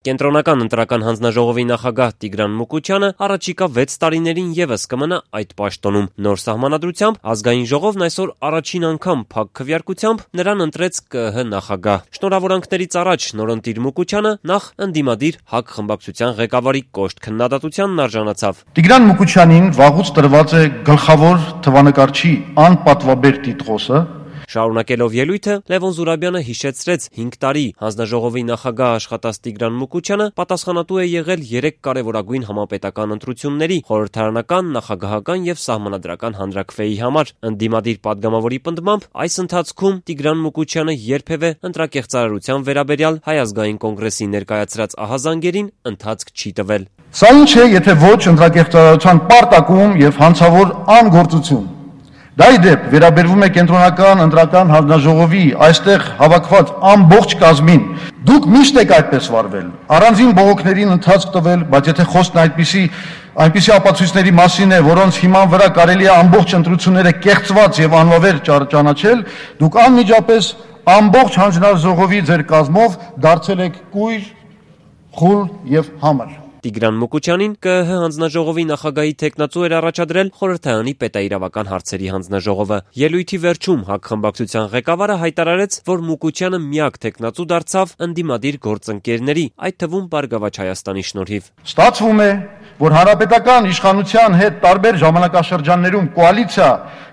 Կենտրոնական ընտրական հանձնաժողովի նախագահ Տիգրան Մուկուչյանը առաջիկա 6 տարիներին ևս կմնա այդ պաշտոնում։ Նոր սահմանադրությամբ ազգային ժողովն այսօր առաջին անգամ փակ քվեարկությամբ նրան ընտրեց ԿԸՀ նախագահ։ Շնորհավորանքներից առաջ նորընտիր Մուկուչյանը նախ ընդդիմադիր ՀԱԿ խմբակցության ղեկավարի կոշտ քննադատությանն արժանացավ։ Տիգրան Մուկուչյանին վաղուց տրված է գլխավոր թվանկարչի անպատվաբեր տիտղոսը։ Շարունակելով ելույթը, Լևոն Զուրաբյանը հիշեցրեց 5 տարի հանձնաժողովի նախագահ աշխատած Տիգրան Մուկուչյանը պատասխանատու է եղել 3 կարևորագույն համապետական ընտրությունների՝ խորհրդարանական, նախագահական եւ սահմանադրական հանրաքվեի համար։ Ընդդիմադիր падգամավորի պնդմամբ այս ընթացքում Տիգրան Մուկուչյանը երբևէ ընտրակեղծարարության վերաբերյալ Հայ ազգային կոնգրեսի ներկայացրած ահազանգերին ընթացք չի տվել։ Սա ինչ է, եթե ոչ ընտրակեղծարարության պարտակում եւ հանցավոր անգործություն։ Դա ի դեպ վերաբերվում է կենտրոնական ընտրական հանձնաժողովի այստեղ հավաքված ամբողջ կազմին։ Դուք միշտ եք այդպես վարվել, առանձին բողոքներին ընթացք տվել, բայց եթե խոսքն այնպիսի ապացույցների մասին է, որոնց հիման վրա կարելի է ամբողջ ընտրությունները կեղծված եւ անվավեր ճանաչել, դուք անմիջապես ամբողջ հանձնաժողովի ձեր կազմով դարձել եք կույր, խուլ եւ համր։ Տիգրան Մուկուչյանին ԿԸՀ հանձնաժողովի նախագահի թեկնածու էր առաջադրել խորհրդարանի պետաիրավական հարցերի հանձնաժողովը։ Ելույթի վերջում ՀԱԿ խմբակցության ղեկավարը հայտարարեց, որ Մուկուչյանը միակ թեկնածու դարձավ ընդդիմադիր գործընկերների, այդ թվում Բարգավաճ Հայաստանի շնորհիվ։ Ստացվում է, որ հանրապետական իշխանության հետ տարբեր ժամանակաշրջաններում կոալիցիա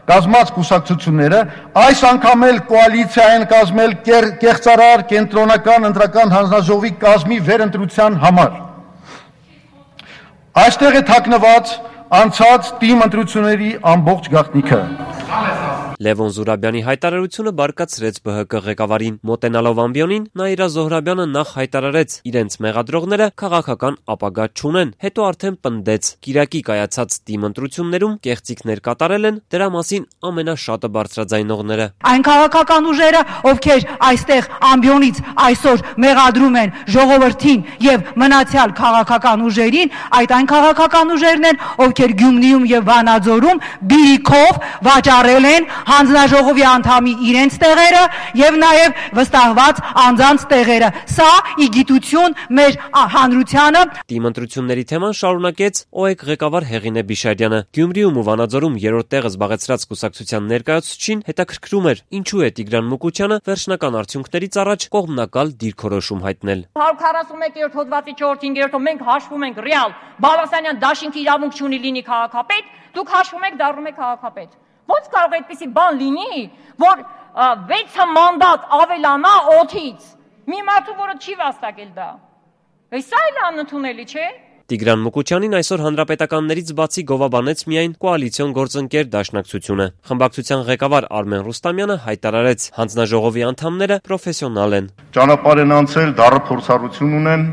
կազմած կուսակցությունները այս անգամ էլ կոալիցիա են կազմել կեղծարար կենտրոնական ընտրական հանձնաժողովի կազմի վերընտրության համար։ Այստեղ է թաքնված անցած թիմ ընտրությունների ամբողջ գաղտնիքը։ Լևոն Զուրաբյանի հայտարարությունը բարկացրեց ԲՀԿ ղեկավարին։ Մոտենալով ամբիոնին Նաիրա Զոհրաբյանը նախ հայտարարեց իրենց մեղադրողները քաղաքական ապագա չունեն, հետո արդեն պնդեց Կիրակի կայացած թիմ ընտրություններում կեղծիքներ կատարել են, դրա մասին ամենաշատը բարձրաձայնողները։ Այն քաղաքական ուժերը, ովքեր այստեղ ամբիոնից այսօր մեղադրում են ժողովրդին եւ մնացյալ քաղաքական ուժերին, այն քաղաքական ուժերն են, ովքեր Գյումրիում եւ Վանաձորում բիրիքով վաճառել են հանձնաժողովի անդամի իրենց տեղերը եւ նաեւ վստահված անձանց տեղերը։ Սա ի գիտություն մեր հանրությանը։ Թիմ ընտրությունների թեման շարունակեց ՕԵԿ ղեկավար Հեղինե Բիշարյանը։ Գյումրիում ու Վանաձորում երրորդ տեղը զբաղեցրած կուսակցության ներկայացուցչին հետաքրքրում էր, ինչու է Տիգրան Մուկուչյանը վերջնական արդյունքներից առաջ կողմնակալ դիրքորոշում հայտնել։ 141-րդ հոդվածի 4-5-րդով մենք հաշվում ենք ռեալ Բալասանյան դաշինքի իրավունք չունի լինի քաղաքապետ, դուք հաշվում եք դառնում եք քաղաքապետ։ Ոնց կարող է այդպիսի բան լինի, որ 6 մանդատ ավելանա 8-ից։ Մի մարդու, որը չի վաստակել դա։ Սա էլ անընդունելի չէ։ Տիգրան Մուկուչյանին այսօր հանրապետականներից բացի գովաբանեց միայն կոալիցիոն գործընկեր դաշնակցությունը։ Խմբակցության ղեկավար Արմեն Ռուստամյանը հայտարարեց, հանձնաժողովի անդամները պրոֆեսիոնալ են։ Ճանապարհ են անցել, դառը փորձառություն ունեն,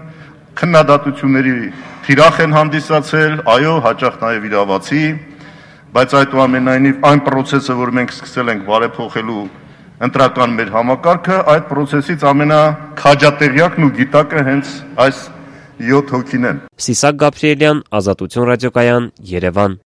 քննադատությունների թիրախ են հանդիսացել, այո, հաճախ նաև իրավացի, բայց այդուամենայնիվ այն process-ը, որ մենք սկսել ենք բարեփոխելու ընտրական մեր համակարգը, այդ process-ից ամենաքաջատեղյակն ու գիտակը հենց այս 7 հոգին են։ Սիսակ Գաբրիելյան, Ազատություն ռադիոկայան, Երևան։